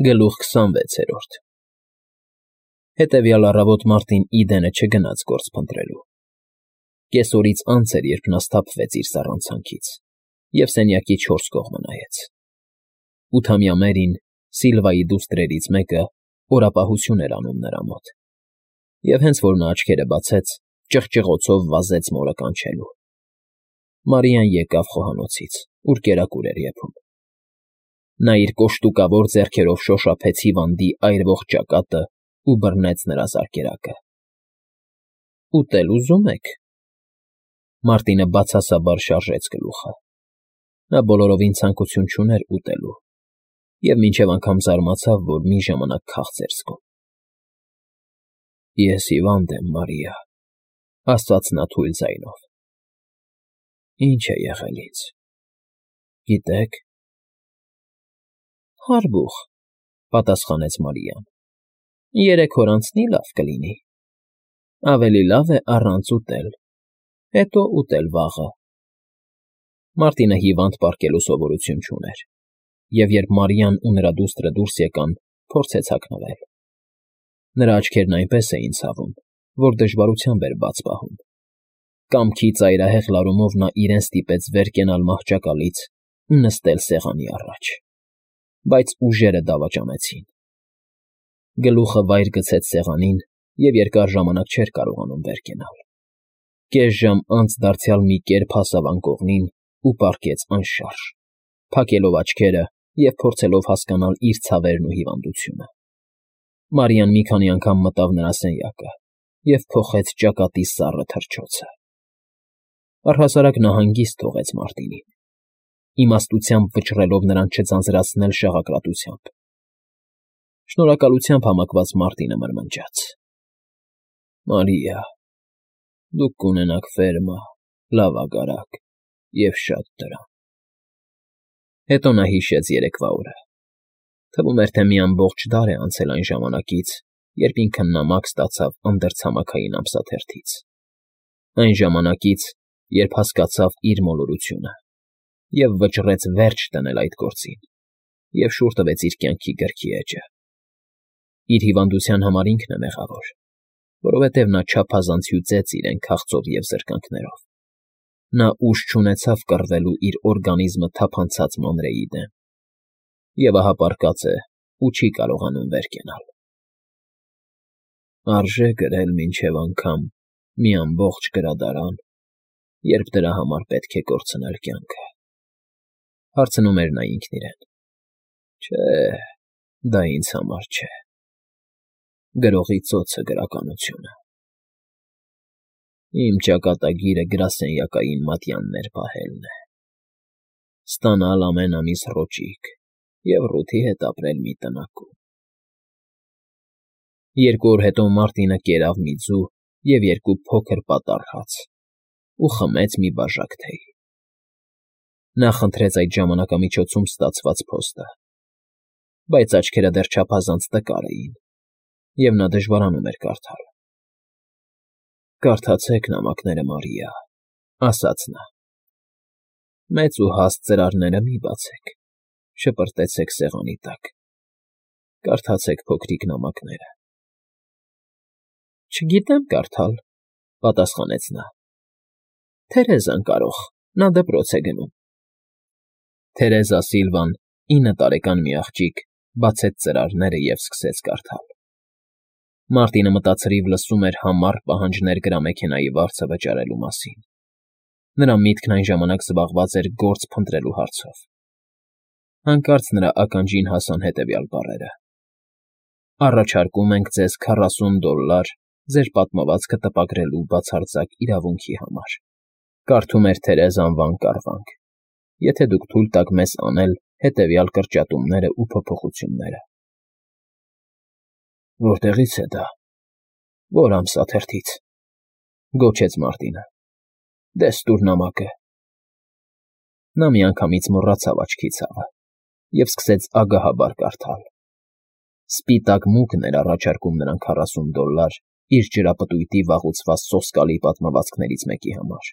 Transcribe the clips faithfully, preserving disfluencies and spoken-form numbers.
Գլուխ քսանվեցերորդ Հետևյալ առավոտ Մարտին Իդենը չգնաց գործ փնտրելու։ Կեսօրից անց էր, երբ նա սթափվեց իր սառանցանքից և սենյակի չորս կողմը նայեց։ Ութամյա Մերին, Սիլվայի դուստրերից մեկը, օրապահություն էր անում նրա մոտ, և հենց որ նա աչքերը բացեց, ճղճղոցով վազեց մորը կանչելու։ Մարիան եկավ խոհանոցից, ուր կերակուր էր եփում։ Նա իր կոշտուկավոր ձեռքերով շոշափեց հիվանդի այրվող ճակատն ու բռնեց նրա զարկերակը։ ֊ Ուտել ուզում եք,֊ Մարտինը բացասաբար շարժեց գլուխը։ Նա բոլորովին ցանկություն չուներ ուտելու և մինչև անգամ զարմացավ, որ մի ժամանակ քաղց էր զգում։ ֊ Ես հիվանդ եմ, Մարիա,֊ ասաց նա թույլ ձայնով։ ֊ Ի՞նչ է եղել ինձ, գիտե՞ք։ ֊ Հարբուխ,֊ պատասխանեց Մարիան։ ֊ Երեք օր անցնի՝ լավ կլինի։ Ավելի լավ է առանց ուտել, հետո ուտել վաղը։ Մարտինը հիվանդ պառկելու սովորություն չուներ, և երբ Մարիան ու նրա դուստրը դուրս եկան, փորձեց հագնվել։ Նրա աչքերն այնպես էին ցավում, որ դժվարությամբ էր բաց պահում։ Կամքի ծայրահեղ լարումով նա իրեն ստիպեց վեր կենալ մահճակալից ու նստել սեղանի առաջ, բայց ուժերը դավաճանեցին։ Գլուխը վայր գցեց սեղանին և երկար ժամանակ չէր կարողանում վեր կենալ։ Կես ժամ անց դարձյալ մի կերպ հասավ անկողնին ու պառկեց անշարժ, փակելով աչքերը և փորձելով հասկանալ իր ցավերն ու հիվանդությունը։ Մարիան մի քանի անգամ մտավ նրա սենյակը և փոխեց ճակատի սառը թռչոցը։ Առհասարակ նա հանգիստ թողեց Մարտինին, իմաստությամբ վճռելով նրան չձանձրացնել շաղակրատությամբ։ Շնորհակալությամբ համակված Մարտինը մրմնջաց. ֊ Մարիա, դուք կունենաք ֆերմա, լավագարակ և շատ տրամ։ Հետո նա հիշեց երեկվա օրը։ Թվում էր, թե մի ամբողջ դար է անցել այն ժամանակից, երբ ինքն նամակ ստացավ անդրցամաքային ամսաթերթից, այն ժամանակից, երբ հասկացավ իր մոլորությունը և վճռեց վերջ դնել այդ գործին և շուռ տվեց իր կյանքի գրքի էջը։ Իր հիվանդության համար ինքն է մեղավոր, որովհետև նա չափազանց հյուծեց իրեն քաղցով և զրկանքներով։ Նա ուժ չունեցավ կռվելու իր օրգանիզմը թափանցած մանրեի դեմ, և ահա պառկած է ու չի կարողանում վեր կենալ։ Արժե՞ գրել մինչև անգամ մի ամբողջ գրադարան, երբ դրա համար պետք է կորցնել կյանքը,֊ հարցնում էր նա ինքն իրեն։ Չէ, դա ինձ համար չէ։ Գրողի ծոցը գրականությունը։ Իմ ճակատագիրը գրասենյակային մատյաններ պահելն է, ստանալ ամեն ամիս ռոճիկ և ռութի հետ ապրել մի տնակում։ Երկու օր հետո Մարտինը կերավ մի ձու և երկու փոքր պատառ հաց ու խմեց մի բաժակ թեյ։ Նա խնդրեց այդ ժամանակամիջոցում ստացված փոստը, բայց աչքերը դեռ չափազանց տկար էին, և նա դժվարանում էր կարդալ։ ֊ Կարդացեք նամակները, Մարիա,֊ ասաց նա։ Մեծ ու հաստ ծրարները մի՛ բացեք, շպրտեցեք սեղանի տակ, կարդացեք փոքրիկ նամակները։ ֊ Չգիտեմ կարդալ,֊ պատասխանեց նա։ Թերեզան կարող, նա դպրոց է գնում։ Թերեզա Սիլվան, ինը տարեկան մի աղջիկ, բացեց ծրարները և սկսեց կարդալ։ Մարտինը մտածրիվ լսում էր համառ պահանջներ գրամեքենայի վարձը վճարելու մասին։ Նրա միտքն այն ժամանակ զբաղված էր գործ փնտրելու հարցով։ Հանկարծ նրա ականջին հասան հետևյալ բառերը. «Առաջարկում ենք ձեզ քառասուն դոլլար ձեր պատմվածքը տպագրելու բացարձակ իրավունքի համար», կարդում էր Թերեզան վանգ֊կառվանգ, «եթե դուք թույլ տաք մեզ անել հետևյալ կրճատումներն ու փոփոխությունները»։ Որտեղի՞ց է դա, ո՞ր ամսաթերթից,֊ գոչեց Մարտինը։ Դե՛ս տուր նամակը։ Նա միանգամից մոռացավ աչքի ցավը և սկսեց ագահաբար կարդալ։ Սպիտակ մուգն էր առաջարկում նրան քառասուն դոլլար իր ջրապտույտի վաղուցված սոսկալի պատմվածքներից մեկի համար։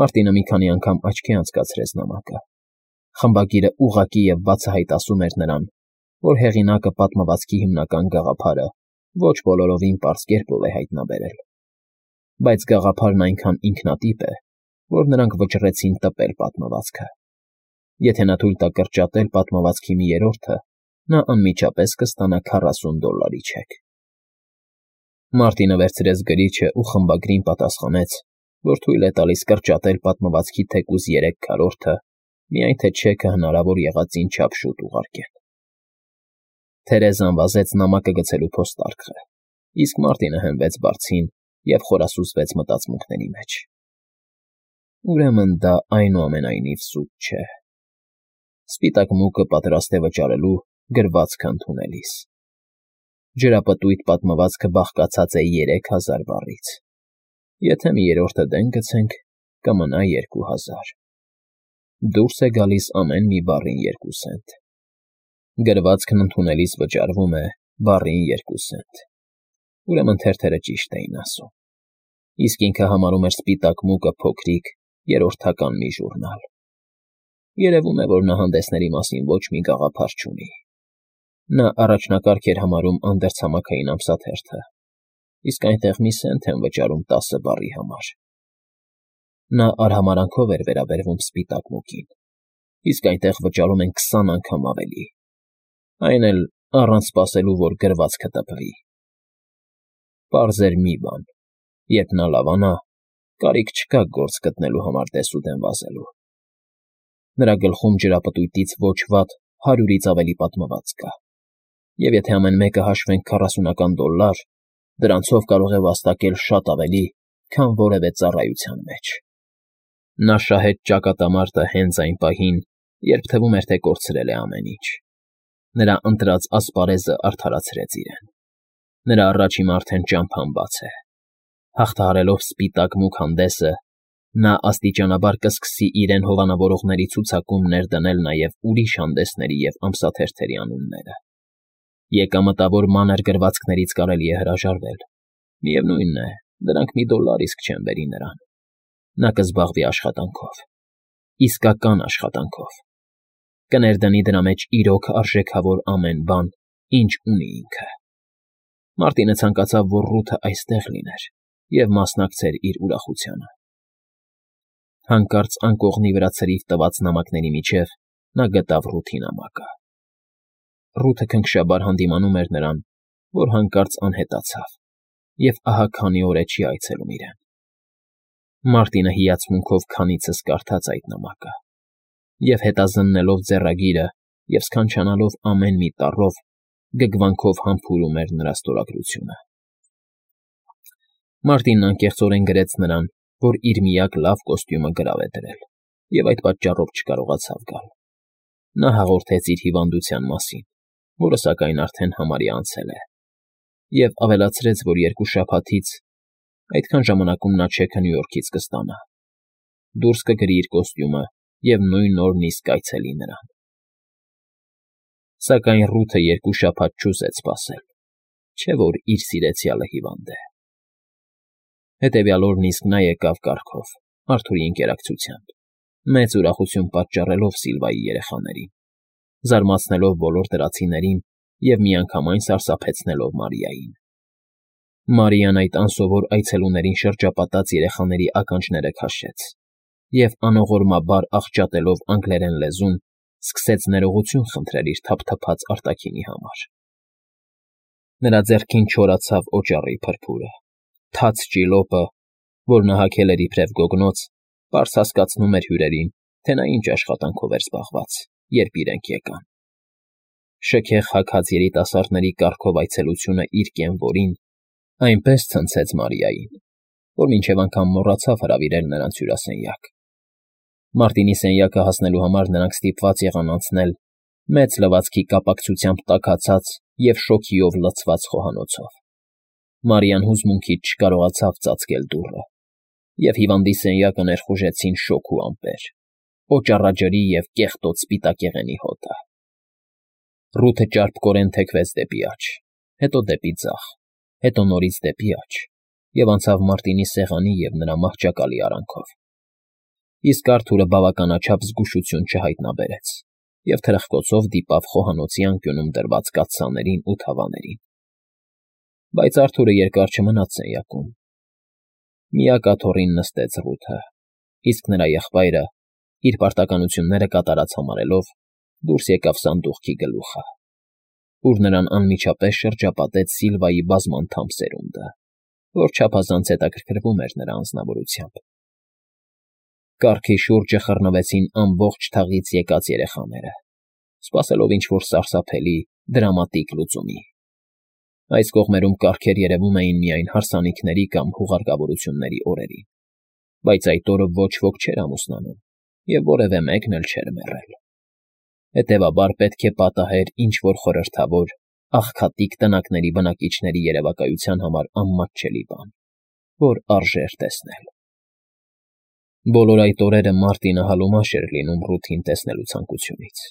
Մարտինը մի քանի անգամ աչքի անցկացրեց նամակը։ Խմբագիրը ուղղակի և բացահայտ ասում էր նրան, որ հեղինակը պատմվածքի հիմնական գաղափարը ոչ բոլորովին պարզ կերպով է հայտնաբերել, բայց գաղափարն այնքան ինքնատիպ է, որ նրանք վճռեցին տպել պատմվածքը. եթե նա թույլ տա կրճատել պատմվածքի մի երրորդը, նա անմիջապես կստանա քառասուն դոլարի չեք։ Մարտինը վերցրեց գրիչը ու խմբագրին պատասխանեց, որ թույլ է տալիս կրճատել պատմվածքի թեկուզ երեք քառորդը, միայն թե չեքը հնարավոր եղածին չափ շուտ ուղարկել։ Թերեզան վազեց նամակը գցելու փոստարկղը, իսկ Մարտինը հենվեց բարձին և խորասուզվեց մտածմունքների մեջ։ Ուրեմն դա այնուամենայնիվ սուտ չէ։ Սպիտակ մուկը պատրաստ է վճարելու գրվածքը ընդունելիս։ Ջրապտույտ պատմվածքը բաղկացած է երեք հազար բառից։ Եթե մի երրորդը դեն գցենք, կմնա երկու հազար։ Դուրս է գալիս ամեն մի բառին երկու սենտ։ Գրվածքն ընդունելիս վճարվում է բառին երկու սենտ։ Ուրեմն թերթերը ճիշտ էին ասում։ Իսկ ինքը համարում էր սպիտակ մուկը փոքրիկ, երրորդական մի ժուրնալ։ Երևում է, որ նա հանդեսների մասին ոչ մի գաղափար չունի։ Նա առաջնակարգ էր համարում անդերձամաքային ամսաթերթը, իսկ այնտեղ մի սենտ են վճարում տասը բառի համար։ Նա արհամարհանքով էր վերաբերվում սպիտակ մուկին, իսկ այնտեղ վճարում են քսան անգամ ավելի, այն էլ առանց սպասելու, որ գրվածքը տպվի։ Պարզ էր մի բան. երբ նա լավանա, կարիք չկա գործ գտնելու համար դեսուդեն վազելու։ Նրա գլխում ջրապտույտից ոչ վատ հարյուրից ավելի պատմված կա, և եթե ամեն մեկը հաշվենք քառասունական դոլար, դրանցով կարող է վաստակել շատ ավելի, քան որևէ ծառայության մեջ։ Նա շահեց ճակատամարտը հենց այն պահին, երբ թվում էր, թե կորցրել է ամեն ինչ։ Նրա ընտրած ասպարեզը արդարացրեց իրեն։ Նրա առաջ հիմա արդեն ճամփան բաց է։ Հաղթահարելով սպիտակ մուգ հանդեսը, նա աստիճանաբար կսկսի իրեն հովանավորողների ցուցակում ներդնել նաև ուրիշ հանդեսների և ամսաթերթերի անունները։ Եկամտավոր մանր գրվածքներից կարելի է հրաժարվել։ Միևնույն է, դրանք մի դոլար իսկ չեն բերի նրան։ Նա կզբաղվի աշխատանքով, իսկական աշխատանքով, կներդնի դրա մեջ իրոք արժեքավոր ամեն բան, ինչ ունի ինքը։ Մարտինը ցանկացավ, որ Ռութը այստեղ լիներ և մասնակցեր իր ուրախությանը։ Հանկարծ անկողնի վրա ցրիվ տված նամակների միջև նա գտավ Ռութի նամակը։ Ռութը քնքշաբար հանդիմանում էր նրան, որ հանկարծ անհետացավ և ահա քանի օր է չի այցելում իրեն։ Մարտինը հիացմունքով քանիցս կարդաց այդ նամակը, և հետազննելով ձեռագիրը և սքանչանալով ամեն մի տառով, գգվանքով համբուրում էր նրա ստորագրությունը։ Մարտինն անկեղծորեն գրեց նրան, որ իր միակ լավ կոստյումը գրավ է դրել, և այդ պատճառով չկարողացավ գալ։ Նա հաղորդեց իր հիվանդության մասին, որը սակայն արդեն համարյա անցել է, և ավելացրեց, որ երկու շաբաթից, այդքան ժամանակում նա չեքը Նյու Յորքից կստանա, դուրս կգրի իր կոստյումը և նույն օրն իսկ կայցելի նրան։ Սակայն Ռութը երկու շաբաթ չուզեց սպասել, չէ՞ որ իր սիրեցյալը հիվանդ է։ Հետևյալ օրն իսկ նա եկավ կառքով, Արթուրի ընկերակցությամբ, մեծ ուրախություն պատճառելով Սիլվայի երեխաներին, զարմացնելով բոլոր դրացիներին և միանգամայն սարսափեցնելով Մարիային։ Մարիան այդ անսովոր այցելուներին շրջապատած երեխաների ականջները քաշեց և անողորմաբար աղճատելով անգլերեն լեզուն, սկսեց ներողություն խնդրել իր թափթփած արտաքինի համար։ Նրա ձեռքին չորացավ օճառի փրփուրը, թաց ճիլոպը, որ նա հագել էր իբրև գոգնոց, պարզ հասկացնում էր հյուրերին, թե նա ինչ աշխատանքով էր զբաղված, երբ իրենք եկան։ Շքեղ հագած երիտասարդների կառքով այցելությունը իր կենվորին այնպես ցնցեց Մարիային, որ մինչև անգամ մոռացավ հրավիրել նրանց հյուրասենյակ։ Մարտինի սենյակը հասնելու համար նրանք ստիպված եղան անցնել մեծ լվացքի կապակցությամբ տաքացած և շոգիով լցված խոհանոցով։ Մարիան հուզմունքից չկարողացավ ծածկել դուռը, և հիվանդի սենյակը ներխուժեցին շոգ ու ամպեր, օճառաջրի և կեղտոտ սպիտակեղենի հոտը։ Ռութը ճարպկորեն թեքվեց դեպի աջ, հետո դեպի ձախ, հետո նորից դեպի աջ և անցավ Մարտինի սեղանի և նրա մահճակալի արանքով։ Իսկ Արթուրը բավականաչափ զգուշություն չհայտնաբերեց և թրխկոցով դիպավ խոհանոցի անկյունում դրված կաթսաներին ու թավաներին։ Բայց Արթուրը երկար չմնաց սենյակում։ Միակ աթոռին նստեց Ռութը, իսկ նրա եղբայրը, իր պարտականությունները կատարած համարելով, դուրս եկավ սանդուղքի գլուխը, ուր նրան անմիջապես շրջապատեց Սիլվայի բազմանդամ սերունդը, որ չափազանց հետաքրքրվում էր նրա անձնավորությամբ։ Կառքի շուրջը խռնվեցին ամբողջ թաղից եկած երեխաները, սպասելով ինչ֊որ սարսափելի, դրամատիկ լուծումի։ Այս կողմերում կառքեր երևում էին միայն հարսանիքների կամ հուղարկավորությունների օրերին, բայց այդ օրը ոչ ոք չէր ամուսնանում և որևէ մեկն էլ չէր մեռել։ Հետևաբար պետք է պատահեր ինչ֊որ խորհրդավոր, աղքատիկ տնակների բնակիչների երևակայության համար անմատչելի բան, որ արժեր տեսնել։ Բոլոր այդ օրերը Մարտինը հալումաշ էր լինում Ռութին տեսնելու ցանկությունից։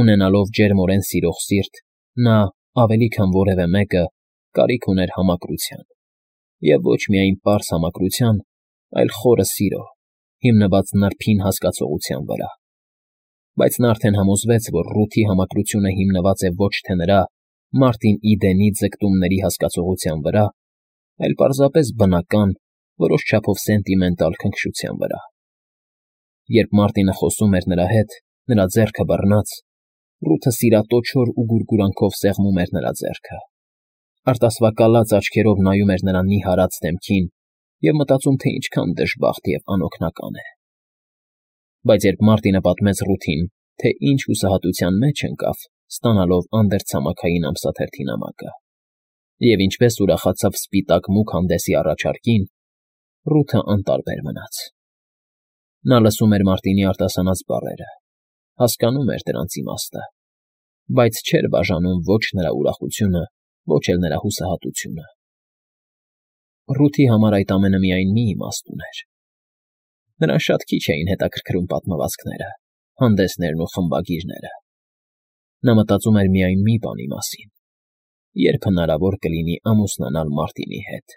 Ունենալով ջերմորեն սիրող սիրտ, նա, ավելի քան որևէ մեկը, կարիք ուներ համակրության, և ոչ միայն պարզ համակրության, այլ խորը սիրո, հիմնված նրբին հասկացողության վրա։ Բայց նա արդեն համոզվեց, որ Ռութի համակրությունը հիմնված է ոչ թե նրա՝ Մարտին Իդենի ձգտումների հասկացողության վրա, այլ պարզապես բնական, որոշ չափով սենտիմենտալ քնքշության վրա։ Երբ Մարտինը խոսում էր նրա հետ, նրա ձեռքը բռնած, Ռութը սիրատոչոր ու գուրգուրանքով սեղմում էր նրա ձեռքը, արտասվակալած աչքերով նայում էր նրա նիհարած դեմքին և մտածում, թե ինչքան դժբախտ և անօգնական է։ Բայց երբ Մարտինը պատմեց Ռութին, թե ինչ հուսահատության մեջ ընկավ, ստանալով անդերցամաքային ամսաթերթի նամակը, և ինչպես ուրախացավ սպիտակ մուգ հանդեսի առաջարկին, Ռութը անտարբեր մնաց։ Նա լսում էր Մարտինի արտասանած բառերը, հասկանում էր դրանց իմաստը, բայց չէր բաժանում ոչ նրա ուրախությունը, ոչ էլ նրա հուսահատությունը։ Ռութի համար այդ ամենը միայն մի իմաստ ուներ։ Նրան շատ քիչ էին հետաքրքրում պատմվածքները, հանդեսներն ու խմբագիրները։ Նա մտածում էր միայն մի բանի մասին. երբ հնարավոր կլինի ամուսնանալ Մարտինի հետ։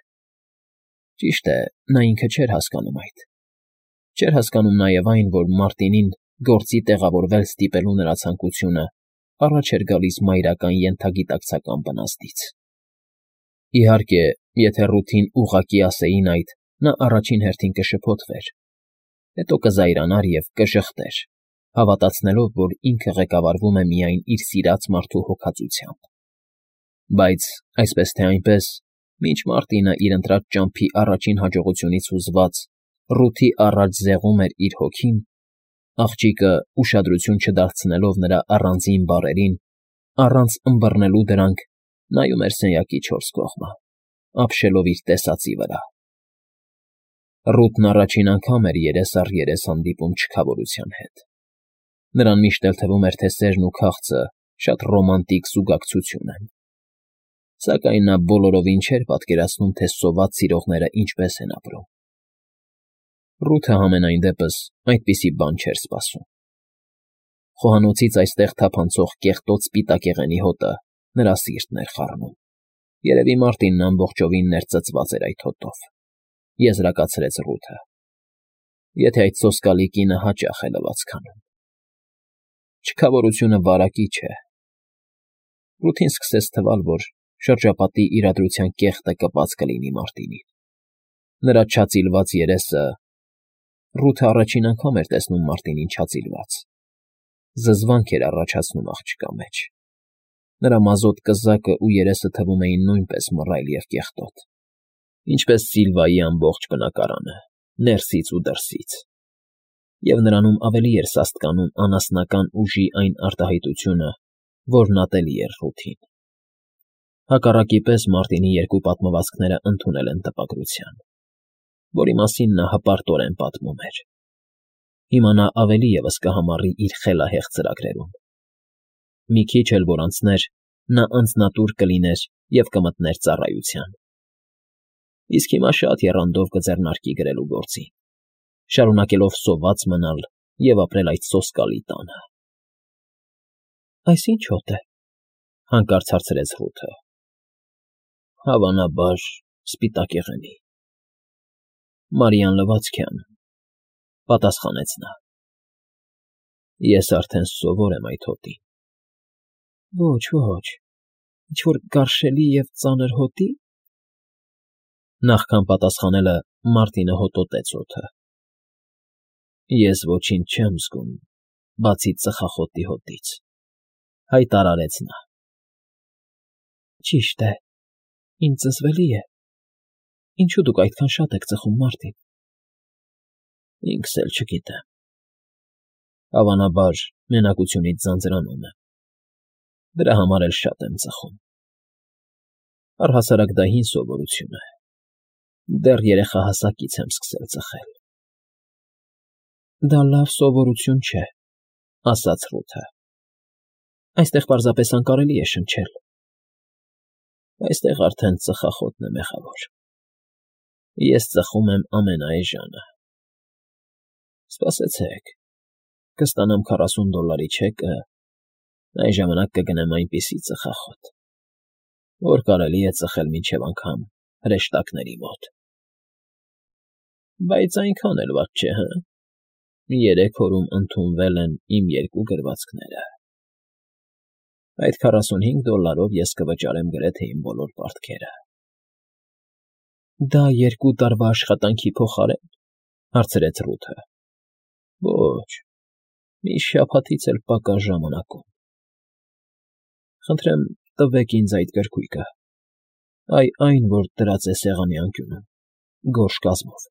Ճիշտ է, նա ինքը չէր հասկանում այդ։ Չէր հասկանում նաև այն, որ Մարտինին գործի տեղավորվել ստիպելու նրա ցանկությունը առաջ էր գալիս մայրական ենթագիտակցական բնազդից։ Իհարկե, եթե Ռութին ուղղակի ասեին այդ, նա առաջին հերթին կշփոթվեր, հետո կզայրանար և կժխտեր, հավատացնելով, որ ինքը ղեկավարվում է միայն իր սիրած մարդու հոգածությամբ։ Բայց, այսպես թե այնպես, մինչ Մարտինը իր ընտրած ճամփի առաջին հաջողությունից հուզված Ռութի առաջ զեղում էր իր հոգին, աղջիկը, ուշադրություն չդարձնելով նրա առանձին բառերին, առանց ըմբռնելու դրանք, նայում էր սենյակի չորս կողմը, ապշելով իր տեսածի վրա։ Ռութն առաջին անգամ էր երես առ երես հանդիպում չքավորության հետ։ Նրան միշտ էլ թվում էր, թե սերն ու քաղցը շատ ռոմանտիկ զուգակցություն են։ Սակայն նա բոլորովին չէր պատկերացնում, թե սոված սիրողները ինչպես են ապրում։ Ռութը համենայն դեպս այդպիսի բան չէր սպասում։ Խոհանոցից այստեղ թափանցող կեղտոտ սպիտակեղենի հոտը նրա սիրտն էր խառնում։ Երևի Մարտինն ամբողջովին ներծծված էր այդ հոտով, եզրակացրեց Ռութը, եթե այդ սոսկալի կինը հաճախ է լվացք անում։ Չքավորությունը վարակիչ է։ Ռութին սկսեց թվալ, որ շրջապատի իրադրության կեղտը կպած կլինի Մարտինին։ Նրա չածիլված երեսը… Ռութը առաջին անգամ էր տեսնում Մարտինին չածիլված։ Զզվանք էր առաջացնում աղջկա մեջ։ Նրա մազոտ կզակն ու երեսը թվում էին նույնպես մռայլ և կեղտոտ, ինչպես Սիլվայի ամբողջ բնակարանը, ներսից ու դրսից, և նրանում ավելի էր սաստկանում անասնական ուժի այն արտահայտությունը, որն ատելի էր Ռութին։ Հակառակի պես Մարտինի երկու պատմվածքները ընդունել են տպագրության, որի մասին նա հպարտորեն պատմում էր։ Հիմա նա ավելի ևս կհամառի իր խելահեղ ծրագրերում։ Մի քիչ էլ որ անցներ, նա անձնատուր կլիներ և կմտներ ծառայության։ Իսկ հիմա շատ եռանդով կձեռնարկի գրելու գործին, շարունակելով սոված մնալ և ապրել այդ սոսկալի տանը։ ֊ Այս ի՞նչ հոտ է,֊ հանկարծ հարցրեց Ռութը։ ֊ Հավանաբար, սպիտակեղենի։ Մարիան լվացք է անում,֊ պատասխանեց նա։ Ես արդեն սովոր եմ այդ հոտին։ Ոչ, ոչ, ինչ֊որ գարշելի և ծանր հոտի՞։ Նախքան պատասխանելը Մարտինը հոտոտեց օդը։ Ես ոչինչ չեմ զգում, բացի ծխախոտի հոտից, հայտարարեց նա։ Ճիշտ է, ինձ զզվելի է։ Ինչու դուք այդքան շատ եք ծխում, Մարտին։ Ինքս էլ չգիտեմ։ Հավանաբար, մենակությունից ձանձրանում եմ։ Դրա համար էլ շատ եմ ծխում։ Առհասարակ դա հին սովորություն է։ Դեռ երեխահասակից եմ սկսել ծխել։ Դա լավ սովորություն չէ, ասաց Ռութը։ Այստեղ պարզապես անկարելի է շնչել։ Այստեղ արդեն ծխախոտն է մեղավոր։ Ես ծխում եմ ամենաէժանը։ Սպասեցեք, կստանամ քառասուն դոլարի չեկը, այն ժամանակ կգնեմ այնպիսի ծխախոտ, որ կարելի է ծխել մինչև անգամ հրեշտակների մոտ։ Բայց այնքան էլ վատ չէ, հը՞։ Երեք օրում ընդունվել են իմ երկու գրվածքները։ Այդ քառասունհինգ դոլարով ես կվճարեմ գրեթե իմ բոլոր պարտքերը։ Դա երկու տարվա աշխատանքի փոխարե՞ն, հարցրեց Ռութը։ Ոչ, մի շաբաթից էլ պակաս ժամանակում։ Խնդրեմ, տվեք ինձ այդ գրքույկը, այ այն, որ դրած է սեղանի անկյունում, գորշ կազմով։